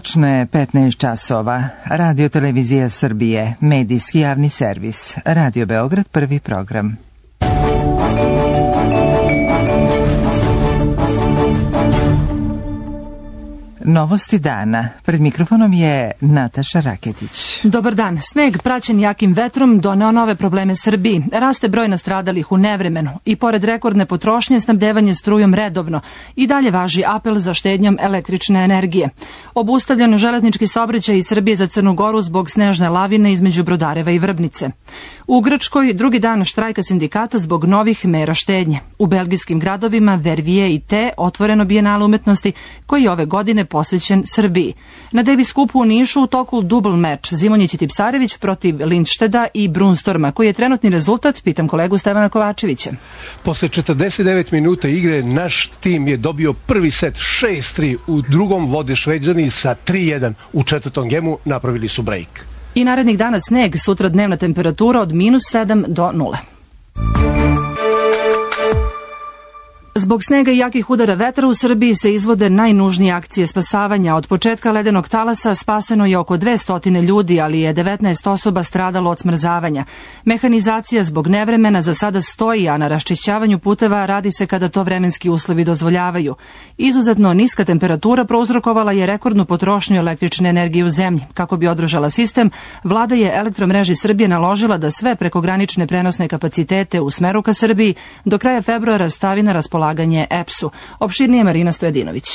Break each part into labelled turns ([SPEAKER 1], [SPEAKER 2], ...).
[SPEAKER 1] Tačno je 15 časova. Radio Televizija Srbije, medijski javni servis. Radio Beograd, prvi program. Novosti dana. Pred mikrofonom je Nataša Raketić.
[SPEAKER 2] Dobar dan. Sneg praćen jakim vetrom doneo nove probleme Srbiji. Raste broj nastradalih u nevremenu i pored rekordne potrošnje snabdevanje strujom redovno. I dalje važi apel za štednjom električne energije. Obustavljen železnički saobraćaj iz Srbije za Crnu Goru zbog snežne lavine između Brodareva i Vrbnice. U Grčkoj drugi dan štrajka sindikata zbog novih mera štednje. U belgijskim gradovima Vervije i Te otvoreno bijenale umetnosti koji ove godine posvećen Srbiji. Na Davis skupu u Nišu u toku dubl meč Zimonjić i Tipsarević protiv Lindšteda i Brunstorma. Koji je trenutni rezultat? Pitam kolegu Stevana Kovačevića.
[SPEAKER 3] Posle 49 minuta igre naš tim je dobio prvi set 6-3, u drugom vode Šveđani sa 3-1, u četvrtom gemu napravili su break.
[SPEAKER 2] I narednih dana sneg, sutra dnevna temperatura od -7 do 0. Zbog snega i jakih udara vetra u Srbiji se izvode najnužnije akcije spasavanja. Od početka ledenog talasa spaseno je oko 200 ljudi, ali je 19 osoba stradalo od smrzavanja. Mehanizacija zbog nevremena za sada stoji, a na raščišćavanju puteva radi se kada to vremenski uslovi dozvoljavaju. Izuzetno niska temperatura prouzrokovala je rekordnu potrošnju električne energije u zemlji. Kako bi održala sistem, vlada je Elektromreži Srbije naložila da sve prekogranične prenosne kapacitete u smeru ka Srbiji do kraja februara stavi na raspolaganje EPS-u. Opširnije Marina Stojadinović.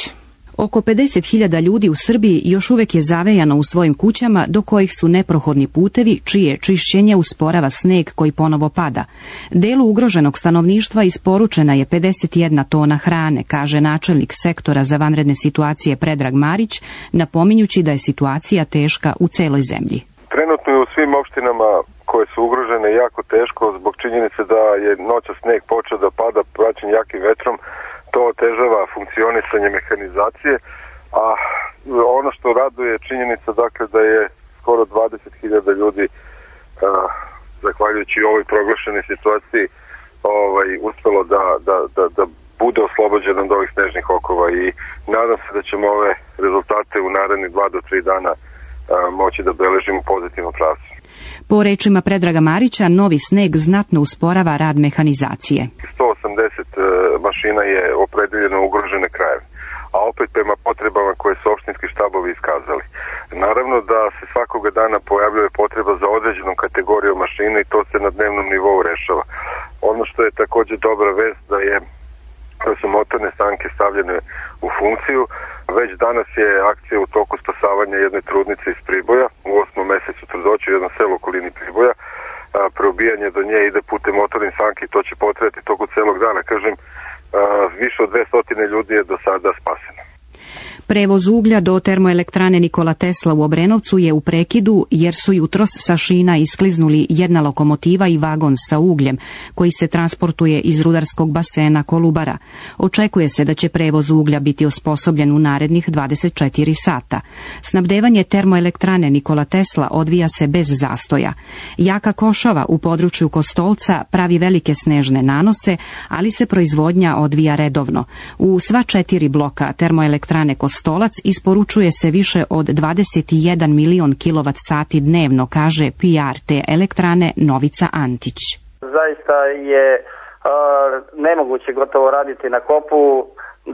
[SPEAKER 4] Oko 50.000 ljudi u Srbiji još uvek je zavejano u svojim kućama do kojih su neprohodni putevi, čije čišćenje usporava sneg koji ponovo pada. Delu ugroženog stanovništva isporučena je 51 tona hrane, kaže načelnik sektora za vanredne situacije Predrag Marić, napominjući da je situacija teška u celoj zemlji.
[SPEAKER 5] Trenutno je u svim opštinama koje su ugrožene jako teško zbog činjenice da je noćas sneg počeo da pada praćen jakim vetrom. To otežava funkcionisanje mehanizacije, a ono što raduje je činjenica dakle da je skoro 20.000 ljudi zahvaljujući ovoj proglašenoj situaciji uspelo da bude oslobođeno od ovih snežnih okova i nadam se da ćemo ove rezultate u narednih 2 do 3 dana moći da beležimo pozitivnu pravcu.
[SPEAKER 4] Po rečima Predraga Marića, novi sneg znatno usporava rad mehanizacije.
[SPEAKER 5] 180 mašina je opredeljeno u ugrožene krajeve, a opet prema potrebama koje su opštinski štabovi iskazali. Naravno da se svakoga dana pojavljuje potreba za određenom kategorijom mašina i to se na dnevnom nivou rešava. Ono što je također dobra vest da su motorne sanke stavljene u funkciju. Već danas je akcija u toku spasavanja jedne trudnice iz Priboja u 8. mesecu trudnoće u jednom selu u okolini Priboja. Preobijanje do nje ide putem motornih sanki, to će potrajati toku celog dana. Kažem, više od 200 ljudi je do sada spaseno.
[SPEAKER 4] Prevoz uglja do termoelektrane Nikola Tesla u Obrenovcu je u prekidu jer su jutros sa šina iskliznuli jedna lokomotiva i vagon sa ugljem koji se transportuje iz rudarskog basena Kolubara. Očekuje se da će prevoz uglja biti osposobljen u narednih 24 sata. Snabdevanje termoelektrane Nikola Tesla odvija se bez zastoja. Jaka košava u području Kostolca pravi velike snežne nanose, ali se proizvodnja odvija redovno. U sva 4 bloka termoelektrane Kostolac isporučuje se više od 21 milion kWh dnevno, kaže PR te elektrane Novica Antić.
[SPEAKER 6] Zaista je nemoguće gotovo raditi na kopu,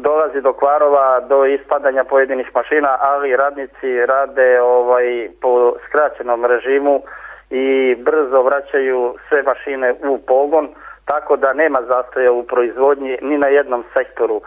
[SPEAKER 6] dolazi do kvarova, do ispadanja pojedinih mašina, ali radnici rade po skraćenom režimu i brzo vraćaju sve mašine u pogon, tako da nema zastoja u proizvodnji ni na jednom sektoru.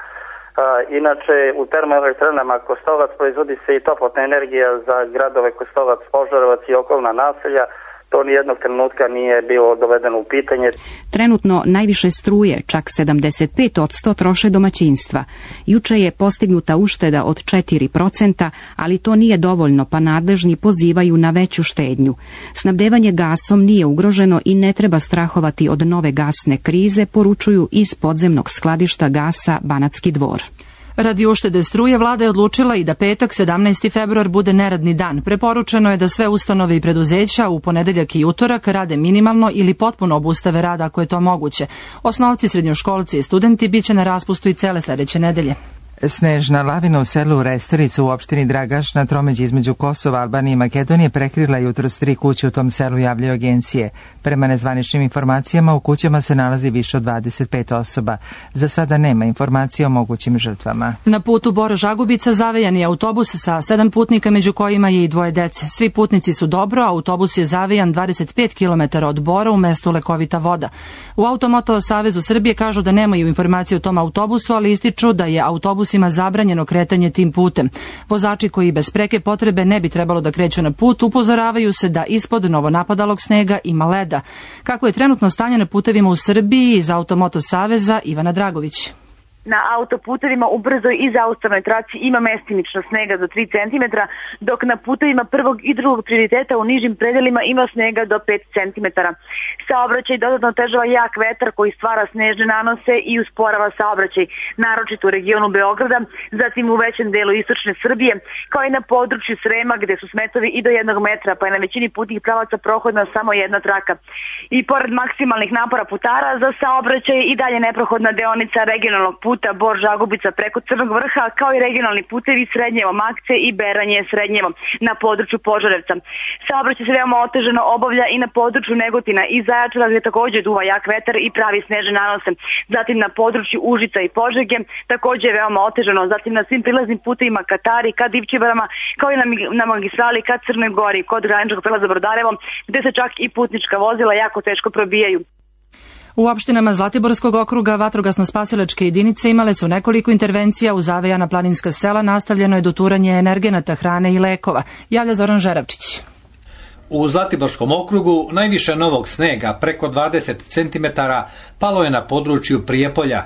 [SPEAKER 6] Inače, u termoelektranama Kostolac proizvodi se i toplotna energija za gradove Kostolac, Požarevac i okolna naselja. To nijednog trenutka nije bilo dovedeno u pitanje.
[SPEAKER 4] Trenutno najviše struje, čak 75% troše domaćinstva. Juče je postignuta ušteda od 4%, ali to nije dovoljno, pa nadležni pozivaju na veću štednju. Snabdevanje gasom nije ugroženo i ne treba strahovati od nove gasne krize, poručuju iz podzemnog skladišta gasa Banatski Dvor.
[SPEAKER 2] Radi uštede struje, vlada je odlučila i da petak, 17. februar, bude neradni dan. Preporučeno je da sve ustanove i preduzeća u ponedeljak i utorak rade minimalno ili potpuno obustave rada ako je to moguće. Osnovci, srednjoškolci i studenti biće na raspustu i cele sledeće nedelje.
[SPEAKER 1] Snežna lavina u selu Resterica u opštini Dragaš na tromeđi između Kosova, Albanije i Makedonije prekrila jutros 3 kuće u tom selu, javljaju agencije. Prema nezvaničnim informacijama u kućama se nalazi više od 25 osoba. Za sada nema informacije o mogućim žrtvama.
[SPEAKER 2] Na putu Bor-Žagubica zavejan je autobus sa 7 putnika, među kojima je i 2 dece. Svi putnici su dobro, autobus je zavejan 25 km od Bora u mestu Lekovita voda. U Automoto Savezu Srbije kažu da nemaju informacije o tom autobusu, ali ističu da je autobusima zabranjeno kretanje tim putem. Vozači koji bez preke potrebe ne bi trebalo da kreću na put, upozoravaju se da ispod novonapadalog snega ima leda. Kako je trenutno stanje na putevima u Srbiji, iz Automoto Saveza Ivana Dragović.
[SPEAKER 7] Na autoputevima u brzoj i zaustavnoj traci ima mestimično snega do 3 cm, dok na putevima prvog i drugog prioriteta u nižim predelima ima snega do 5 cm. Saobraćaj dodatno otežava jak vetar koji stvara snežne nanose i usporava saobraćaj, naročito u regionu Beograda, zatim u većem delu istočne Srbije, kao i na području Srema gde su smetovi i do 1 metra, pa je na većini putnih pravaca prohodna samo jedna traka. I pored maksimalnih napora putara za saobraćaj i dalje neprohodna deonica regionalnog puta Bor-Žagubica preko Crnog Vrha, kao i regionalni putevi Srednjevo-Makce i Beranje-Srednjevo na području Požarevca. Saobraćaj se veoma otežano obavlja i na području Negotina i Zaječara, gde takođe duva jak vetar i pravi snežne nanose. Zatim na području Užica i Požege takođe je veoma otežano. Zatim na svim prilaznim putevima ka Tari, ka Divčibarama, kao i na magistrali ka Crnoj Gori kod graničnog prelaza Brodarevo, gde se čak i putnička vozila jako teško probijaju.
[SPEAKER 2] U opštinama Zlatiborskog okruga vatrogasno-spasilačke jedinice imale su nekoliko intervencija u zavejana planinska sela, nastavljeno je doturanje energenata, hrane i lekova, javlja Zoran Žeravčić.
[SPEAKER 8] U Zlatiborskom okrugu najviše novog snega, preko 20 cm, palo je na području Prijepolja.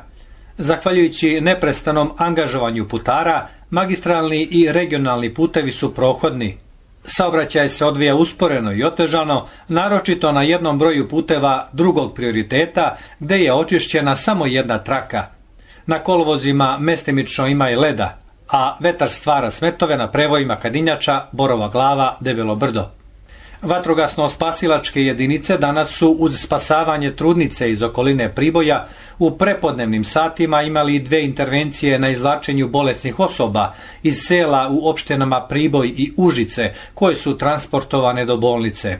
[SPEAKER 8] Zahvaljujući neprestanom angažovanju putara, magistralni i regionalni putevi su prohodni. Saobraćaj se odvija usporeno i otežano, naročito na jednom broju puteva drugog prioriteta, gde je očišćena samo jedna traka. Na kolovozima mestimično ima i leda, a vetar stvara smetove na prevojima Kadinjača, Borova Glava, Debelo Brdo. Vatrogasno-spasilačke jedinice danas su uz spasavanje trudnice iz okoline Priboja u prepodnevnim satima imali 2 intervencije na izvlačenju bolesnih osoba iz sela u opštinama Priboj i Užice, koje su transportovane do bolnice.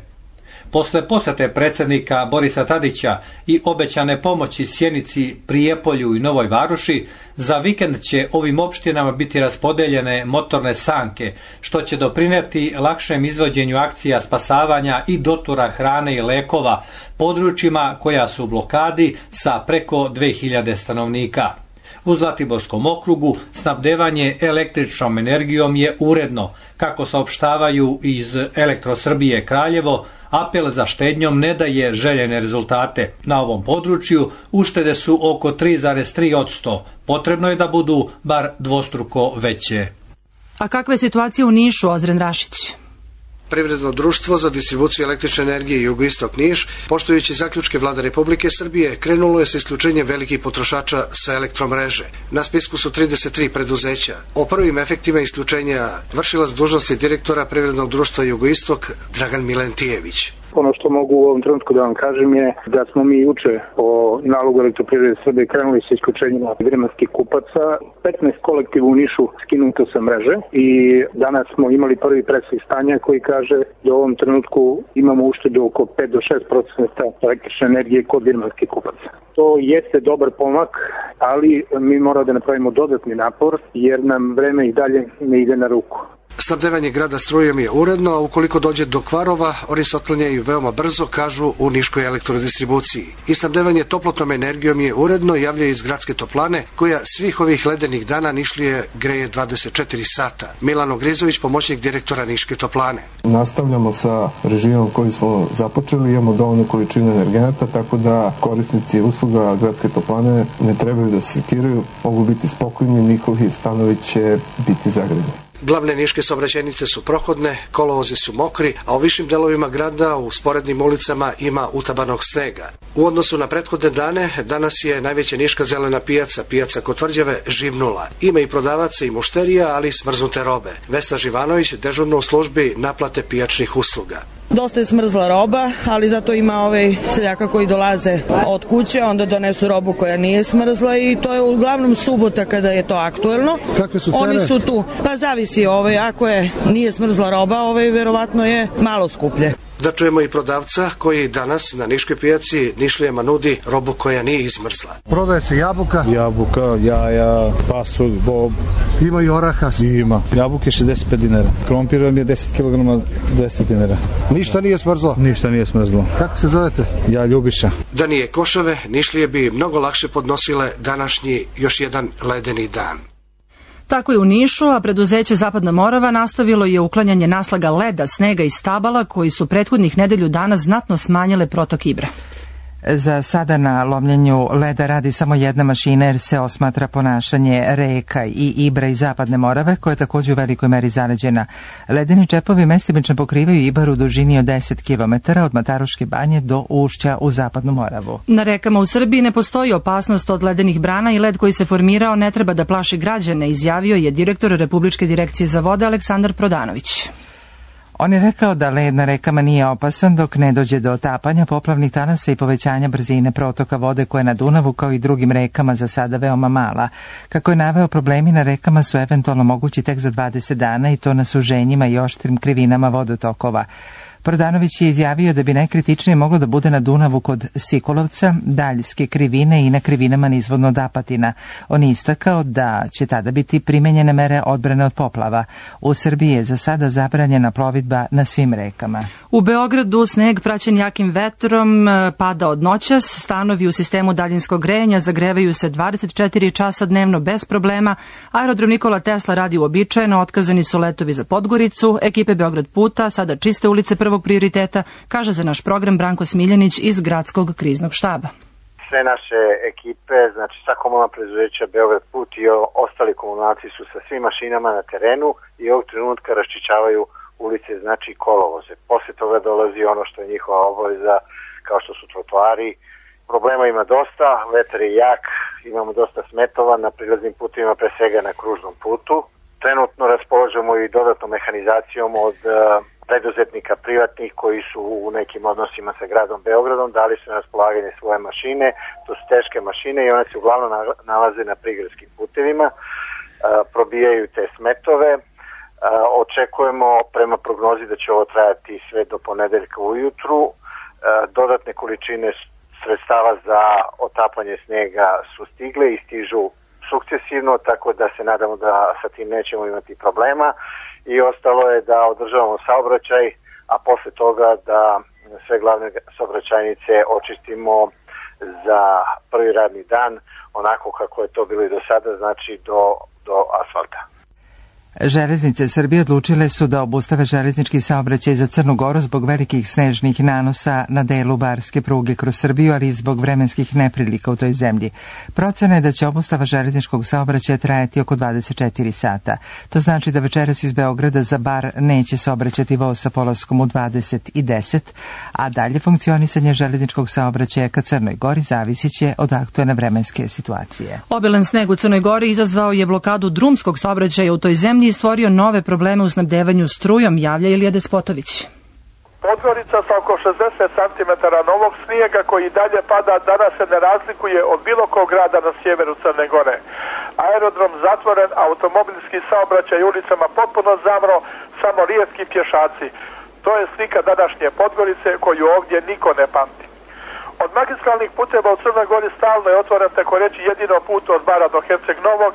[SPEAKER 8] Posle posete predsjednika Borisa Tadića i obećane pomoći Sjenici, Prijepolju i Novoj Varoši, za vikend će ovim opštinama biti raspodeljene motorne sanke, što će doprinijeti lakšem izvođenju akcija spasavanja i dotura hrane i lekova područjima koja su u blokadi sa preko 2000 stanovnika. U Zlatiborskom okrugu snabdevanje električnom energijom je uredno. Kako saopštavaju iz Elektrosrbije Kraljevo, apel za štednjom ne daje željene rezultate. Na ovom području uštede su oko 3,3%. Potrebno je da budu bar dvostruko veće.
[SPEAKER 2] A kakva je situacija u Nišu, Ozren Rašić?
[SPEAKER 9] Privredno društvo za distribuciju električne energije Jugoistok Niš, poštujući zaključke Vlade Republike Srbije, krenulo je sa isključenjem velikih potrošača sa elektromreže. Na spisku su 33 preduzeća. O prvim efektima isključenja vršilac dužnosti direktora Privrednog društva Jugoistok Dragan Milentijević.
[SPEAKER 10] Ono što mogu u ovom trenutku da vam kažem je da smo mi juče po nalogu Elektroprivrede Srbije krenuli sa isključenjima vremenskih kupaca. 15 kolektiva u Nišu skinuto sa mreže i danas smo imali prvi presvih stanja koji kaže da u ovom trenutku imamo uštedu oko 5 do 6% električne energije kod vremenskih kupaca. To jeste dobar pomak, ali mi moramo da napravimo dodatni napor jer nam vreme i dalje ne ide na ruku.
[SPEAKER 9] Snabdevanje grada strujom je uredno, a ukoliko dođe do kvarova, oni se otklanjaju veoma brzo, kažu u Niškoj elektrodistribuciji. I snabdevanje toplotnom energijom je uredno, javljaju iz gradske toplane, koja svih ovih ledenih dana Nišlije greje 24 sata. Milano Grizović, pomoćnik direktora Niške toplane.
[SPEAKER 11] Nastavljamo sa režimom koji smo započeli, imamo dovoljnu količinu energenata, tako da korisnici usluga gradske toplane ne trebaju da se sekiraju, mogu biti spokojni, njihovi stanovi će biti zagrljeni.
[SPEAKER 9] Glavne niške saobraćajnice su prohodne, kolovozi su mokri, a u višim delovima grada u sporednim ulicama ima utabanog snega. U odnosu na prethodne dane, danas je najveća niška zelena pijaca, pijaca kod Tvrđave, živnula. Ima i prodavaca i mušterija, ali i smrznute robe. Vesna Živanović, dežurna u službi naplate pijačnih usluga.
[SPEAKER 12] Dosta je smrzla roba, ali zato ima seljaka koji dolaze od kuće, onda donesu robu koja nije smrzla i to je uglavnom subota kada je to aktuelno.
[SPEAKER 9] Kakve su cene?
[SPEAKER 12] Oni su tu, pa zavisi, ako nije smrzla roba, verovatno je malo skuplje.
[SPEAKER 9] Da čujemo i prodavca koji danas na niškoj pijaci Nišlijama nudi robu koja nije izmrzla.
[SPEAKER 13] Prodaje se jabuka,
[SPEAKER 14] jaja, pasulj, bob.
[SPEAKER 13] Ima i oraha.
[SPEAKER 14] Ima. Jabuke 65 dinara. Krompir vam je 10 kg 200 dinara.
[SPEAKER 13] Ništa nije smrzlo?
[SPEAKER 14] Ništa nije smrzlo.
[SPEAKER 13] Kako se zovete?
[SPEAKER 14] Ja Ljubiša.
[SPEAKER 9] Da nije košave, Nišlije bi mnogo lakše podnosile današnji još jedan ledeni dan.
[SPEAKER 2] Tako je u Nišu, a preduzeće Zapadna Morava nastavilo je uklanjanje naslaga leda, snega i stabala koji su prethodnih nedelju dana znatno smanjile protok Ibra.
[SPEAKER 1] Za sada na lomljenju leda radi samo jedna mašina jer se osmatra ponašanje reka i Ibra i Zapadne Morave koja je također u velikoj meri zaleđena. Ledeni čepovi mestimično pokrivaju Ibar u dužini od 10 km od Mataruške banje do ušća u Zapadnu Moravu.
[SPEAKER 2] Na rekama u Srbiji ne postoji opasnost od ledenih brana i led koji se formirao ne treba da plaši građane, izjavio je direktor Republičke direkcije za vode Aleksandar Prodanović.
[SPEAKER 1] On je rekao da led na rekama nije opasan dok ne dođe do otapanja poplavnih talasa i povećanja brzine protoka vode koja je na Dunavu kao i drugim rekama za sada veoma mala. Kako je naveo, problemi na rekama su eventualno mogući tek za 20 dana i to na suženjima i oštrim krivinama vodotokova. Prodanović je izjavio da bi najkritičnije moglo da bude na Dunavu kod Sikulovca, Daljske krivine i na krivinama nizvodno od Apatina. On je istakao da će tada biti primenjene mere odbrane od poplava. U Srbiji je za sada zabranjena plovidba na svim rekama.
[SPEAKER 2] U Beogradu sneg praćen jakim vetrom pada od noćas, stanovi u sistemu daljinskog grejanja zagrevaju se 24 časa dnevno bez problema, aerodrom Nikola Tesla radi uobičajeno, otkazani su letovi za Podgoricu, ekipe Beograd puta sada čiste ulice prvog prioriteta, kaže za naš program Branko Smiljanić iz Gradskog kriznog štaba.
[SPEAKER 15] Sve naše ekipe, znači sva komunalna preduzeća Beograd put i ostali komunalci su sa svim mašinama na terenu i ovog trenutka raščišćavaju ulice, znači kolovoze. Posle toga dolazi ono što je njihova obaveza, kao što su trotoari. Problema ima dosta, vetar je jak, imamo dosta smetova na prilaznim putovima, pre svega na kružnom putu. Trenutno raspolažemo i dodatnom mehanizacijom od preduzetnika privatnih koji su u nekim odnosima sa gradom Beogradom, dali su na raspolaganje svoje mašine, to su teške mašine i one se uglavnom nalaze na prigradskim putevima, probijaju te smetove. Očekujemo prema prognozi da će ovo trajati sve do ponedeljka ujutru. Dodatne količine sredstava za otapanje snega su stigle i stižu sukcesivno, tako da se nadamo da sa tim nećemo imati problema. I ostalo je da održavamo saobraćaj, a posle toga da sve glavne saobraćajnice očistimo za prvi radni dan, onako kako je to bilo i do sada, znači do asfalta.
[SPEAKER 1] Železnice Srbije odlučile su da obustave železnički saobraćaj za Crnu Goru zbog velikih snežnih nanosa na delu barske pruge kroz Srbiju, ali i zbog vremenskih neprilika u toj zemlji. Procena je da će obustava železničkog saobraćaja trajati oko 24 sata. To znači da večeras iz Beograda za Bar neće saobraćati voz sa polaskom u 20:10, a dalje funkcionisanje železničkog saobraćaja ka Crnoj Gori zavisit će od aktuelne vremenske situacije.
[SPEAKER 2] Obilan sneg u Crnoj Gori izazvao je blokadu drumskog saobraćaja u toj zemlji i stvorio nove probleme u snabdevanju strujom, javlja Ilija Despotović.
[SPEAKER 16] Podgorica sa oko 60 cm novog snijega koji dalje pada danas se ne razlikuje od bilo kog grada na sjeveru Crne Gore. Aerodrom zatvoren, automobilski saobraćaj ulicama potpuno zamro, samo rijetki pješaci. To je slika današnje Podgorice koju ovdje niko ne pamti. Od magistralnih puteva u Crnoj Gori stalno je otvoren tako reći jedino put od Bara do Herceg Novog,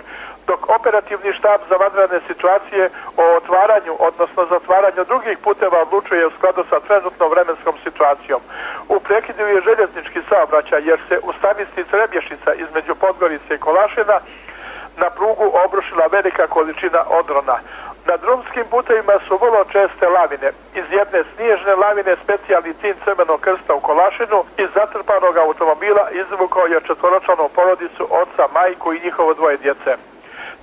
[SPEAKER 16] dok operativni štab za vanredne situacije o otvaranju, odnosno zatvaranju drugih puteva odlučuje u skladu sa trenutnom vremenskom situacijom. U prekidu je željeznički saobraćaj jer se u stanici Trebješica između Podgorice i Kolašina na prugu obrušila velika količina odrona. Na drumskim putevima su vrlo česte lavine. Iz jedne snježne lavine specijalni tim Crvenog krsta u Kolašinu iz zatrpanog automobila izvukao je četvoročlanu porodicu, oca, majku i njihovo dvoje djece.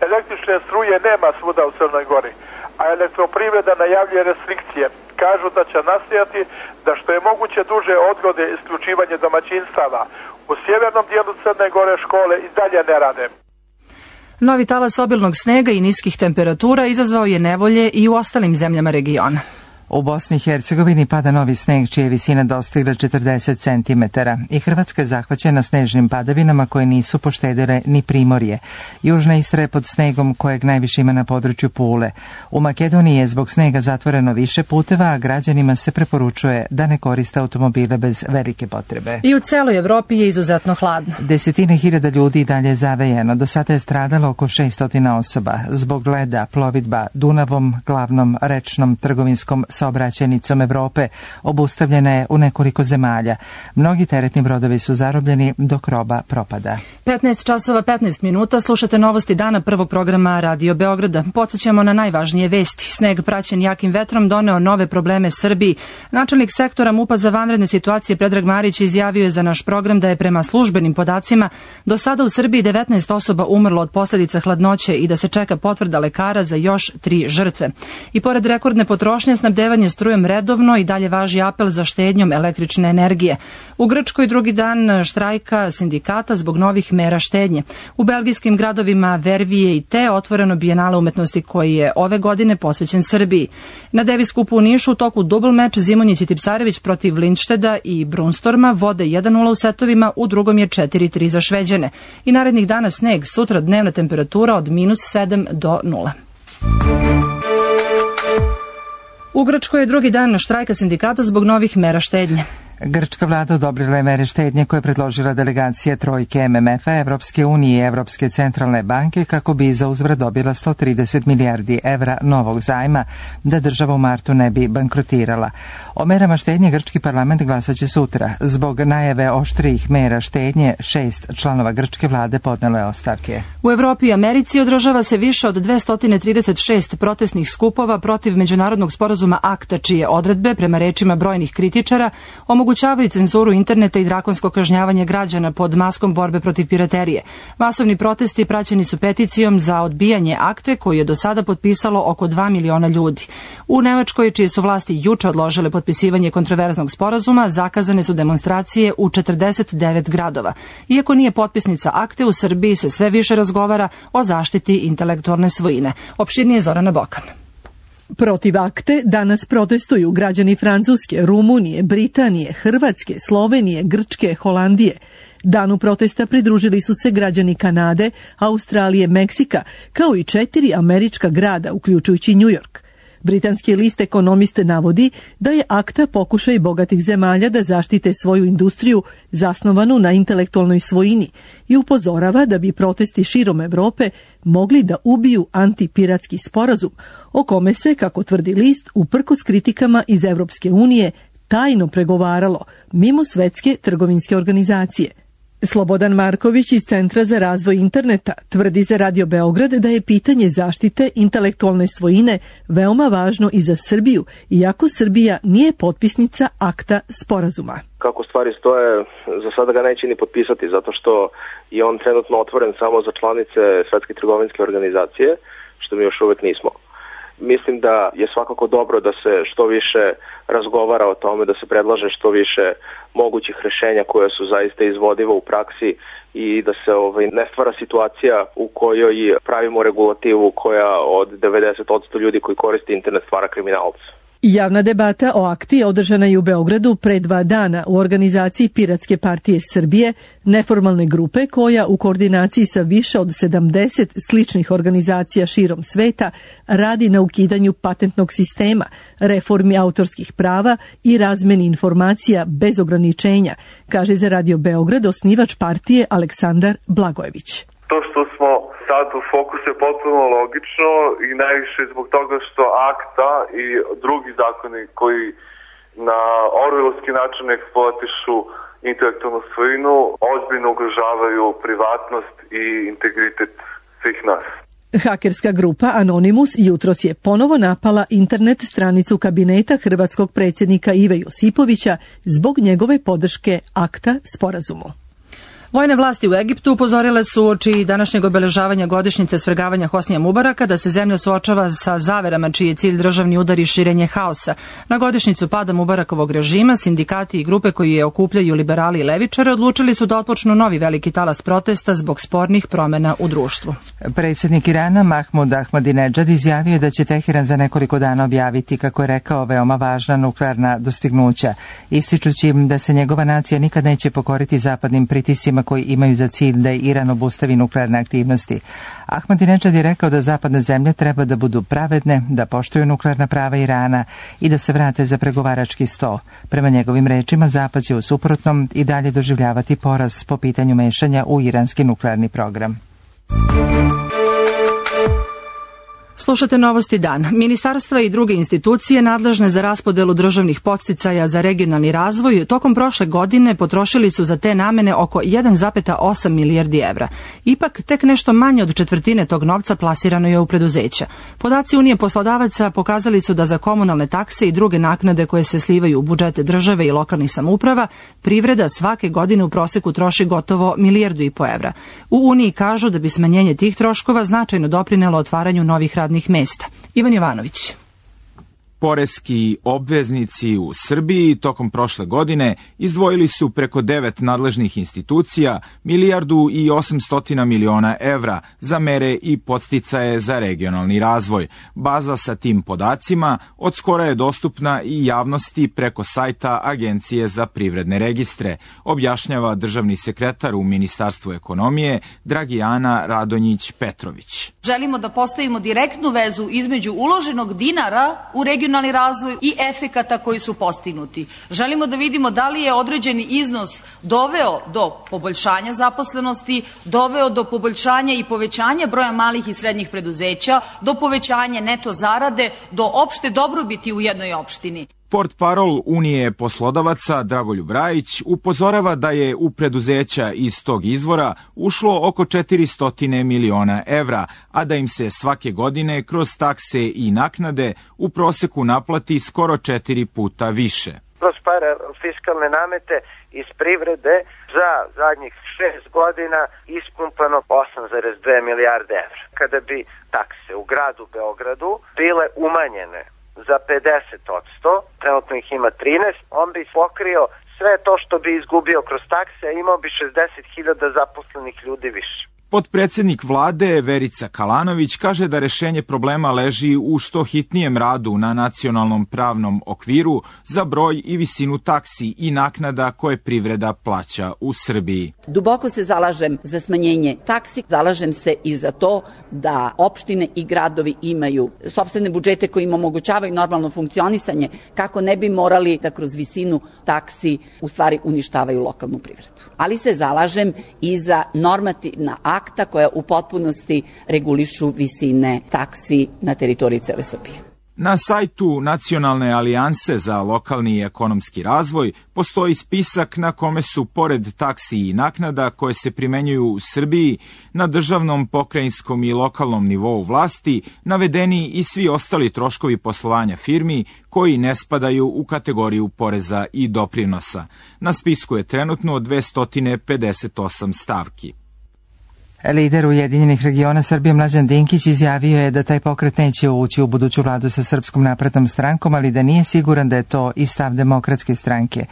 [SPEAKER 16] Električne struje nema svuda u Crnoj Gori, a elektroprivreda najavljuje restrikcije. Kažu da će nastojati da što je moguće duže odgode isključivanje domaćinstava. U sjevernom dijelu Crne Gore škole i dalje ne rade.
[SPEAKER 2] Novi talas obilnog snega i niskih temperatura izazvao je nevolje i u ostalim zemljama regiona.
[SPEAKER 1] U Bosni i Hercegovini pada novi sneg čija je visina dostigla 40 cm i Hrvatska je zahvaćena snežnim padavinama koje nisu poštedile ni primorje. Južna Istra je pod snegom kojeg najviše ima na području Pule. U Makedoniji je zbog snega zatvoreno više puteva, a građanima se preporučuje da ne koriste automobile bez velike potrebe.
[SPEAKER 2] I u celoj Evropi je izuzetno hladno.
[SPEAKER 1] Desetine hiljada ljudi i dalje je zavejeno. Do sada je stradalo oko 600 osoba. Zbog leda plovidba Dunavom, glavnom rečnom trgovinskom saobraćajnicom Evrope, obustavljena je u nekoliko zemalja. Mnogi teretni brodovi su zarobljeni dok roba propada.
[SPEAKER 2] 15 časova 15 minuta, slušate novosti dana prvog programa Radio Beograda. Podsjećamo na najvažnije vesti. Sneg praćen jakim vetrom doneo nove probleme Srbiji. Načelnik sektora MUP-a za vanredne situacije Predrag Marić izjavio je za naš program da je prema službenim podacima do sada u Srbiji 19 osoba umrlo od posljedica hladnoće i da se čeka potvrda lekara za još 3 žrtve. I pored rekordne potrošnje, snabdevanje strujom redovno i dalje važi apel za štednjom električne energije. U Grčkoj drugi dan štrajka sindikata zbog novih mera štednje. U belgijskim gradovima Vervije i Te otvoreno bijenale umetnosti koji je ove godine posvećen Srbiji. Na Davis Cupu u Nišu u toku dubl meč Zimonjić i Tipsarević protiv Lindšteda i Brunstorma vode 1-0 u setovima, u drugom je 4-3 za Šveđane. I narednih dana sneg, sutra dnevna temperatura od -7 do 0. U Grčkoj je drugi dan štrajka sindikata zbog novih mera štednje.
[SPEAKER 1] Grčka vlada odobrila je mere štednje koje je predložila delegacija trojke MMF-a, Evropske unije i Evropske centralne banke kako bi za uzvrat dobila 130 milijardi evra novog zajma da država u martu ne bi bankrotirala. O merama štednje grčki parlament glasaće sutra. Zbog najave oštrijih mera štednje 6 članova grčke vlade podnelo je ostavke.
[SPEAKER 2] U Evropi i Americi održava se više od 236 protestnih skupova protiv međunarodnog sporazuma ACTA, čije odredbe, prema rečima brojnih kritičara, omogućavaju cenzuru interneta i drakonsko kažnjavanje građana pod maskom borbe protiv piraterije. Masovni protesti praćeni su peticijom za odbijanje akte koju je do sada potpisalo oko 2 miliona ljudi. U Nemačkoj, čije su vlasti juče odložile potpisivanje kontroverznog sporazuma, zakazane su demonstracije u 49 gradova. Iako nije potpisnica akte, u Srbiji se sve više razgovara o zaštiti intelektualne svojine. Opširnije Zorana Bokan.
[SPEAKER 17] Protiv akte danas protestuju građani Francuske, Rumunije, Britanije, Hrvatske, Slovenije, Grčke, Holandije. Danu protesta pridružili su se građani Kanade, Australije, Meksika, kao i 4 američka grada, uključujući New York. Britanski list Ekonomiste navodi da je akta pokušaj bogatih zemalja da zaštite svoju industriju zasnovanu na intelektualnoj svojini i upozorava da bi protesti širom Evrope mogli da ubiju antipiratski sporazum, o kome se, kako tvrdi list, uprkos kritikama iz Evropske unije tajno pregovaralo mimo Svetske trgovinske organizacije. Slobodan Marković iz Centra za razvoj interneta tvrdi za Radio Beograd da je pitanje zaštite intelektualne svojine veoma važno i za Srbiju, iako Srbija nije potpisnica akta sporazuma.
[SPEAKER 18] Kako stvari stoje, za sada ga neće ni potpisati, zato što je on trenutno otvoren samo za članice Svetske trgovinske organizacije, što mi još uvek nismo. Mislim da je svakako dobro da se što više razgovara o tome, da se predlaže što više mogućih rješenja koja su zaista izvodiva u praksi i da se ne stvara situacija u kojoj pravimo regulativu koja od 90% ljudi koji koriste internet stvara kriminalca.
[SPEAKER 17] Javna debata o akti održana je u Beogradu pre 2 dana u organizaciji Piratske partije Srbije, neformalne grupe koja u koordinaciji sa više od 70 sličnih organizacija širom sveta radi na ukidanju patentnog sistema, reformi autorskih prava i razmeni informacija bez ograničenja, kaže za Radio Beograd osnivač partije Aleksandar Blagojević.
[SPEAKER 19] To što smo sad u fokusu je potpuno logično i najviše zbog toga što akta i drugi zakoni koji na orwellovski način eksploatišu intelektualnu svojinu ozbiljno ugrožavaju privatnost i integritet svih nas.
[SPEAKER 17] Hakerska grupa Anonymous jutros je ponovo napala internet stranicu kabineta hrvatskog predsjednika Ive Josipovića zbog njegove podrške akta sporazumu.
[SPEAKER 2] Vojne vlasti u Egiptu upozorile su uoči današnjeg obeležavanja godišnjice svrgavanja Hosnija Mubaraka da se zemlja suočava sa zaverama čiji je cilj državni udar i širenje haosa. Na godišnjicu pada Mubarakovog režima, sindikati i grupe koji je okupljaju liberali i levičare odlučili su da otpočnu novi veliki talas protesta zbog spornih promena u društvu.
[SPEAKER 1] Predsjednik Irana Mahmud Ahmadinejad izjavio je da će Teheran za nekoliko dana objaviti, kako je rekao, veoma važna nuklearna dostignuća, ističući im da se njegova nacija nikad neće pokoriti zapadnim pritiscima koji imaju za cilj da Iran obustavi nuklearne aktivnosti. Ahmadinejad je rekao da zapadne zemlje treba da budu pravedne, da poštuju nuklearna prava Irana i da se vrate za pregovarački sto. Prema njegovim rečima, Zapad će u suprotnom i dalje doživljavati poraz po pitanju mešanja u iranski nuklearni program.
[SPEAKER 2] Slušate Novosti dan. Ministarstva i druge institucije nadležne za raspodelu državnih podsticaja za regionalni razvoj tokom prošle godine potrošili su za te namene oko 1,8 milijardi evra. Ipak, tek nešto manje od četvrtine tog novca plasirano je u preduzeća. Podaci Unije poslodavaca pokazali su da za komunalne takse i druge naknade koje se slivaju u budžete države i lokalnih samouprava, privreda svake godine u proseku troši gotovo 1,5 milijardu evra. U Uniji kažu da bi smanjenje tih troškova značajno doprinelo otvaranju novih radnih mesta. Ivan Jovanović.
[SPEAKER 20] Poreski obveznici u Srbiji tokom prošle godine izdvojili su preko 9 nadležnih institucija 1,8 milijardi evra za mere i podsticaje za regionalni razvoj. Baza sa tim podacima od skora je dostupna i javnosti preko sajta Agencije za privredne registre, objašnjava državni sekretar u Ministarstvu ekonomije Dragijana Radonjić-Petrović.
[SPEAKER 21] Želimo da postavimo direktnu vezu između uloženog dinara u regionalni razvoj i efekata koji su postignuti. Želimo da vidimo da li je određeni iznos doveo do poboljšanja zaposlenosti, doveo do poboljšanja i povećanja broja malih i srednjih preduzeća, do povećanja neto zarade, do opšte dobrobiti u jednoj opštini.
[SPEAKER 20] Portparol Unije poslodavaca Dragoljub Rajić upozorava da je u preduzeća iz tog izvora ušlo oko 400 miliona evra, a da im se svake godine kroz takse i naknade u proseku naplati skoro 4 puta više.
[SPEAKER 22] Kroz fiskalne namete iz privrede za zadnjih 6 godina ispumpano 8,2 milijarde evra. Kada bi takse u gradu Beogradu bile umanjene za 50%, trenutno ih ima 13, on bi pokrio sve to što bi izgubio kroz takse, a imao bi 60.000 zaposlenih ljudi više.
[SPEAKER 20] Potpredsednik vlade Verica Kalanović kaže da rešenje problema leži u što hitnijem radu na nacionalnom pravnom okviru za broj i visinu taksi i naknada koje privreda plaća u Srbiji.
[SPEAKER 23] Duboko se zalažem za smanjenje taksi, zalažem se i za to da opštine i gradovi imaju sopstvene budžete koji im omogućavaju normalno funkcionisanje, kako ne bi morali da kroz visinu taksi u stvari uništavaju lokalnu privredu. Ali se zalažem i za normativna akta koja u potpunosti regulišu visine taksi na teritoriji cele Srbije.
[SPEAKER 20] Na sajtu Nacionalne alijanse za lokalni i ekonomski razvoj postoji spisak na kome su, pored taksi i naknada koje se primenjuju u Srbiji na državnom, pokrajinskom i lokalnom nivou vlasti, navedeni i svi ostali troškovi poslovanja firmi koji ne spadaju u kategoriju poreza i doprinosa. Na spisku je trenutno 258 stavki.
[SPEAKER 1] Lider Ujedinjenih regiona Srbije Mlađan Dinkić izjavio je da taj pokret neće ući u buduću vladu sa Srpskom naprednom strankom, ali da nije siguran da je to i stav Demokratske stranke.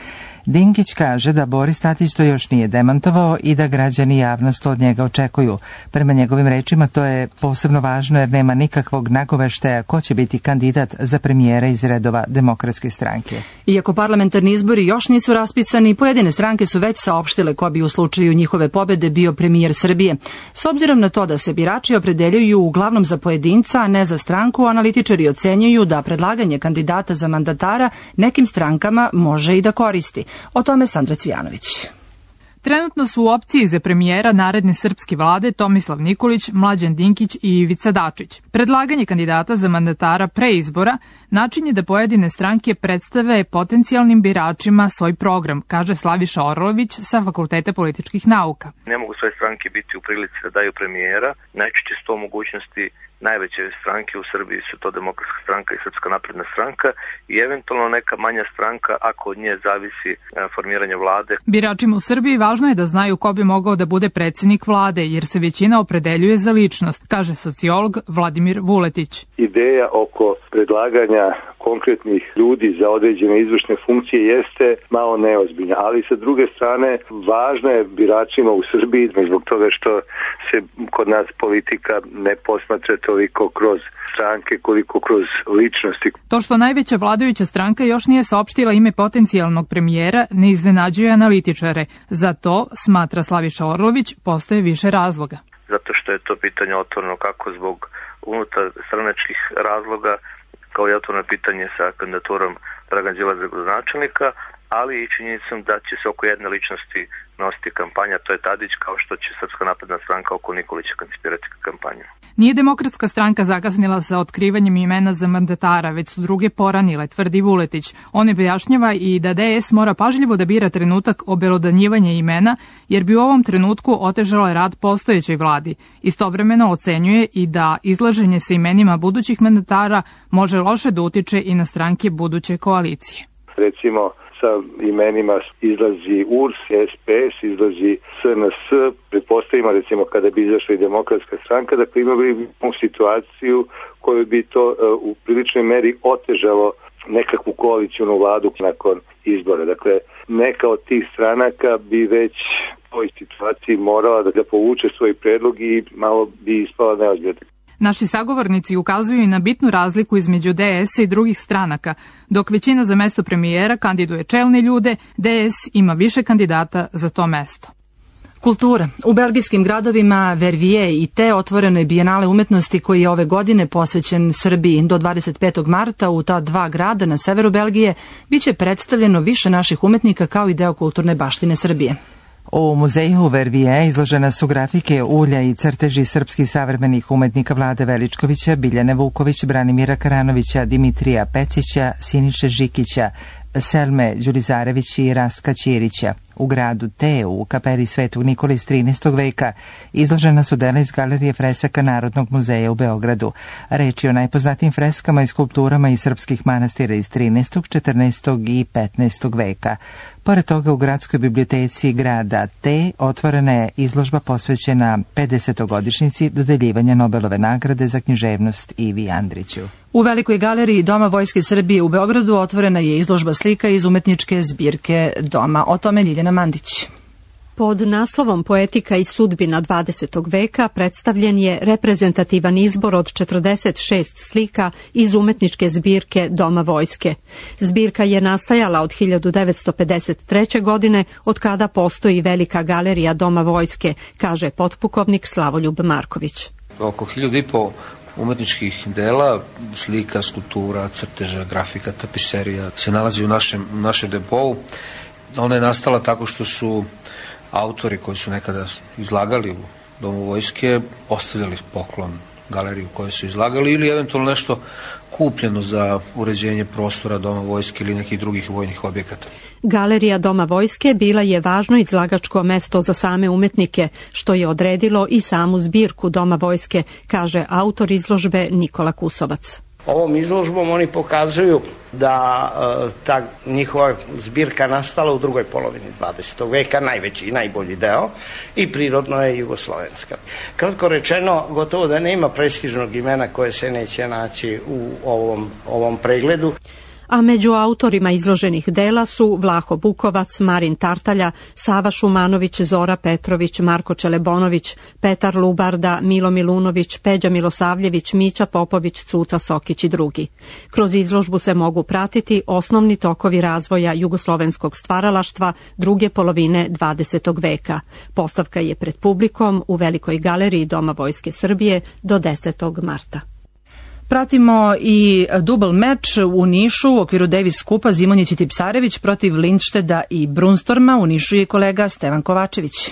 [SPEAKER 1] Dinkić kaže da Boris Tadić to još nije demantovao i da građani i javnost od njega očekuju. Prema njegovim rečima to je posebno važno jer nema nikakvog nagoveštaja ko će biti kandidat za premijera iz redova Demokratske stranke.
[SPEAKER 2] Iako parlamentarni izbori još nisu raspisani, pojedine stranke su već saopštile ko bi u slučaju njihove pobede bio premijer Srbije. S obzirom na to da se birači opredeljuju uglavnom za pojedinca, a ne za stranku, analitičari ocenjuju da predlaganje kandidata za mandatara nekim strankama može i da koristi. O tome Sandra Cvijanović.
[SPEAKER 24] Trenutno su u opciji za premijera naredne srpske vlade Tomislav Nikolić, Mlađan Dinkić i Ivica Dačić. Predlaganje kandidata za mandatara pre izbora način je da pojedine stranke predstave potencijalnim biračima svoj program, kaže Slaviša Orlović sa Fakulteta političkih nauka.
[SPEAKER 25] Ne mogu sve stranke biti u prilici da daju premijera, najčešće su to mogućnosti
[SPEAKER 18] najveće stranke u Srbiji su to Demokratska stranka i Srpska napredna stranka i eventualno neka manja stranka ako od nje zavisi formiranje vlade.
[SPEAKER 24] Biračima u Srbiji važno je da znaju ko bi mogao da bude predsjednik vlade, jer se većina opredeljuje za ličnost, kaže sociolog Vladimir Vuletić.
[SPEAKER 3] Ideja oko predlaganja konkretnih ljudi za određene izvršne funkcije jeste malo neozbiljna, ali sa druge strane važna je biračima u Srbiji zbog toga što se kod nas politika ne posmatra toliko kroz stranke koliko kroz ličnosti.
[SPEAKER 24] To što najveća vladajuća stranka još nije saopštila ime potencijalnog premijera ne iznenađuje analitičare. Za to, smatra Slaviša Orlović, postoje više razloga.
[SPEAKER 18] Zato što je to pitanje otvoreno kako zbog unutar stranačkih razloga, kao i otvoreno pitanje sa kandidaturom Dragan Đilasa za gradonačelnika, ali i činjenicom da će se oko jedne ličnosti nositi kampanja, to je Tadić, kao što će Srpska napredna stranka oko Nikolića koncipirati kampanju.
[SPEAKER 24] Nije Demokratska stranka zakasnila sa otkrivanjem imena za mandatara, već su druge poranile, tvrdi Vuletić. On objašnjava i da DS mora pažljivo da bira trenutak obelodanjivanja imena, jer bi u ovom trenutku otežala rad postojećoj vladi. Istovremeno ocenjuje i da izlaženje sa imenima budućih mandatara može loše da utiče i na stranke buduće koalicije.
[SPEAKER 3] Recimo, sa imenima izlazi URS, SPS, izlazi SNS, pretpostavimo recimo kada bi izašla i Demokratska stranka, dakle imali bi situaciju koju bi to u priličnoj meri otežalo nekakvu koalicijnu vladu nakon izbora. Dakle, neka od tih stranaka bi već u toj situaciji morala da povuče svoj predlog i malo bi ispala neozbiljna.
[SPEAKER 24] Naši sagovornici ukazuju i na bitnu razliku između DS-a i drugih stranaka. Dok većina za mesto premijera kandiduje čelne ljude, DS ima više kandidata za to mesto.
[SPEAKER 2] Kultura. U belgijskim gradovima Verviers i Te otvoreno je Bijenale umetnosti koji je ove godine posvećen Srbiji. Do 25. marta u ta dva grada na severu Belgije biće predstavljeno više naših umetnika kao i deo kulturne baštine Srbije.
[SPEAKER 1] U muzeju Verviers izložena su grafike, ulja i crteži srpskih savremenih umetnika Vlade Veličkovića, Biljane Vuković, Branimira Karanovića, Dimitrija Pecića, Siniše Žikića, Selme Đurizarević i Rastka Ćirića. U gradu Te, u kapeli Svetog Nikole iz 13. veka, izložena su dela iz Galerije fresaka Narodnog muzeja u Beogradu. Reč je o najpoznatijim freskama i skulpturama iz srpskih manastira iz 13., 14. i 15. veka. Pored toga, u gradskoj biblioteci grada Te otvorena je izložba posvećena 50. godišnjici dodeljivanja Nobelove nagrade za književnost Ivi Andriću.
[SPEAKER 2] U Velikoj galeriji Doma Vojske Srbije u Beogradu otvorena je izložba slika iz umetničke zbirke Doma. O tome Ljiljana Mandić.
[SPEAKER 4] Pod naslovom Poetika i sudbina 20. veka predstavljen je reprezentativan izbor od 46 slika iz umetničke zbirke Doma Vojske. Zbirka je nastajala od 1953. godine, od kada postoji Velika galerija Doma Vojske, kaže potpukovnik Slavoljub Marković.
[SPEAKER 5] Oko 1500 umetničkih dela, slika, skulptura, crteža, grafika, tapiserija se nalazi u našem depou. Ona je nastala tako što su autori koji su nekada izlagali u Domu Vojske ostavljali poklon galeriju u kojoj su izlagali ili eventualno nešto kupljeno za uređenje prostora Doma Vojske ili nekih drugih vojnih objekata.
[SPEAKER 4] Galerija Doma Vojske bila je važno izlagačko mesto za same umetnike, što je odredilo i samu zbirku Doma Vojske, kaže autor izložbe Nikola Kusovac.
[SPEAKER 6] Ovom izložbom oni pokazuju da ta njihova zbirka nastala u drugoj polovini 20. veka, najveći i najbolji deo, i prirodno je jugoslovenska. Kratko rečeno, gotovo da nema prestižnog imena koje se neće naći u ovom pregledu.
[SPEAKER 4] A među autorima izloženih dela su Vlaho Bukovac, Marin Tartalja, Sava Šumanović, Zora Petrović, Marko Čelebonović, Petar Lubarda, Milo Milunović, Peđa Milosavljević, Mića Popović, Cuca Sokić i drugi. Kroz izložbu se mogu pratiti osnovni tokovi razvoja jugoslovenskog stvaralaštva druge polovine 20. veka. Postavka je pred publikom u Velikoj galeriji Doma Vojske Srbije do 10. marta.
[SPEAKER 2] Pratimo i dubl meč u Nišu u okviru Davis Kupa Zimonjić i Tipsarević protiv Lindšteda i Brunstorma. U Nišu je kolega Stevan Kovačević.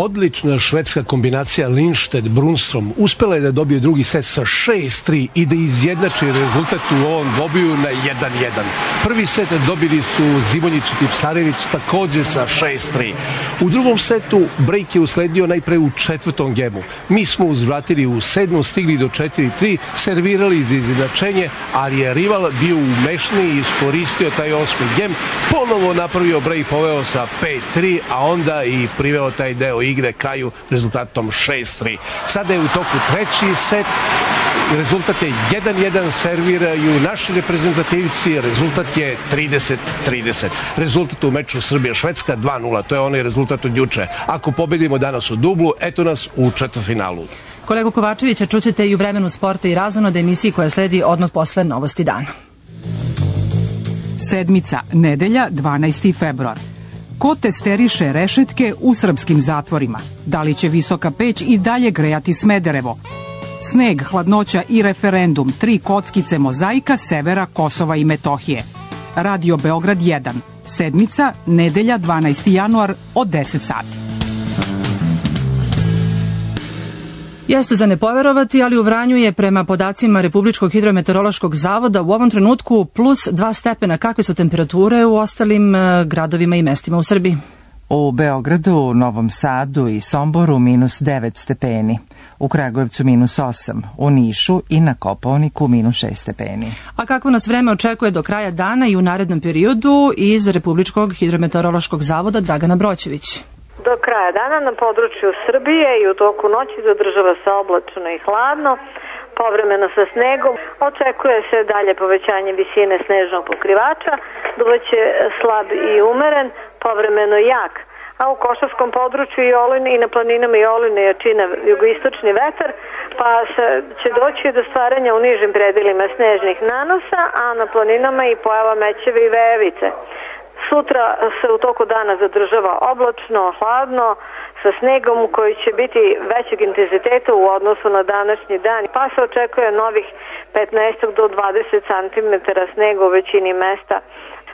[SPEAKER 7] odlična švedska kombinacija Lindstedt-Brunstrom uspela je da dobije drugi set sa 6-3 i da izjednači rezultat u ovom dvobiju na 1-1. Prvi set dobili su Zimonjić i Tipsarević takođe sa 6-3. U drugom setu break je usledio najpre u četvrtom gemu. Mi smo uzvratili u 7. stigli do 4-3, servirali za izjednačenje, ali je rival bio umešniji i iskoristio taj 8. gem, ponovo napravio break, poveo sa 5-3, a onda i priveo taj deo igre kraju rezultatom 6-3. Sada je u toku treći set, rezultat je 1-1, serviraju naši reprezentativci, rezultat je 30-30. Rezultat u meču Srbija-Švedska 2-0, to je onaj rezultat od juče. Ako pobedimo danas u dublu, eto nas u četvrtfinalu.
[SPEAKER 2] Kolegu Kovačevića čućete i u vremenu sporta i razonode emisiji koja sledi odmah posle Novosti dana.
[SPEAKER 8] Sedmica, nedelja, 12. februar. Ko testeriše rešetke u srpskim zatvorima? Da li će Visoka peć i dalje grejati Smederevo? Sneg, hladnoća i referendum, 3 kockice mozaika severa Kosova i Metohije. Radio Beograd 1. Sedmica, nedelja, 12. januar od 10 sati.
[SPEAKER 2] Jeste za ne poverovati, ali u Vranju je prema podacima Republičkog hidrometeorološkog zavoda u ovom trenutku plus 2 stepena. Kakve su temperature u ostalim gradovima i mestima u Srbiji?
[SPEAKER 1] U Beogradu, Novom Sadu i Somboru minus 9 stepeni, u Kragujevcu minus 8, u Nišu i na Kopaoniku minus 6 stepeni.
[SPEAKER 2] A kako nas vreme očekuje do kraja dana i u narednom periodu iz Republičkog hidrometeorološkog zavoda Dragana Broćević?
[SPEAKER 10] Do kraja dana na području Srbije i u toku noći zadržava se oblačno i hladno, povremeno sa snegom. Očekuje se dalje povećanje visine snežnog pokrivača, duvaće slab i umeren, povremeno jak. A u Košarskom području i na planinama i Oline jačina jugoistočni vetar, pa će doći do stvaranja u nižim predelima snežnih nanosa, a na planinama i pojava mećeve i vejevice. Sutra se u toku dana zadržava oblačno, hladno, sa snegom koji će biti većeg intenziteta u odnosu na današnji dan, pa se očekuje novih 15 do 20 cm snega u većini mesta.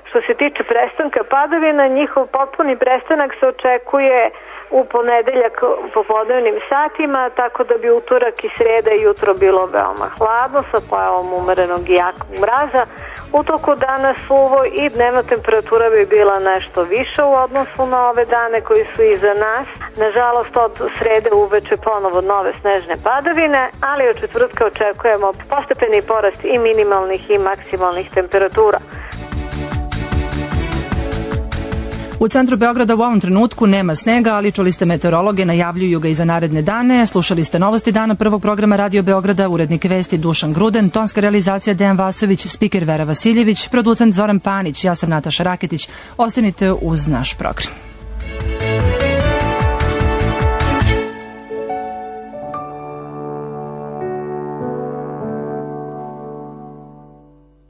[SPEAKER 10] Što se tiče prestanka padavina, njihov potpuni prestanak se očekuje u ponedeljak u popodnevnim satima, tako da bi utorak i sreda i jutro bilo veoma hladno sa pojavom umerenog i jakog mraza. U toku dana suvo i dnevna temperatura bi bila nešto više u odnosu na ove dane koji su iza nas. Nažalost, od srede uveče ponovo nove snežne padavine, ali od četvrtka očekujemo postepeni porast i minimalnih i maksimalnih temperatura.
[SPEAKER 2] U centru Beograda u ovom trenutku nema snega, ali čuli ste meteorologe, najavljuju ga i za naredne dane. Slušali ste Novosti dana prvog programa Radio Beograda, urednik vesti Dušan Gruden, tonska realizacija Dejan Vasović, spiker Vera Vasiljević, producent Zoran Panić, ja sam Nataša Raketić. Ostanite uz naš program.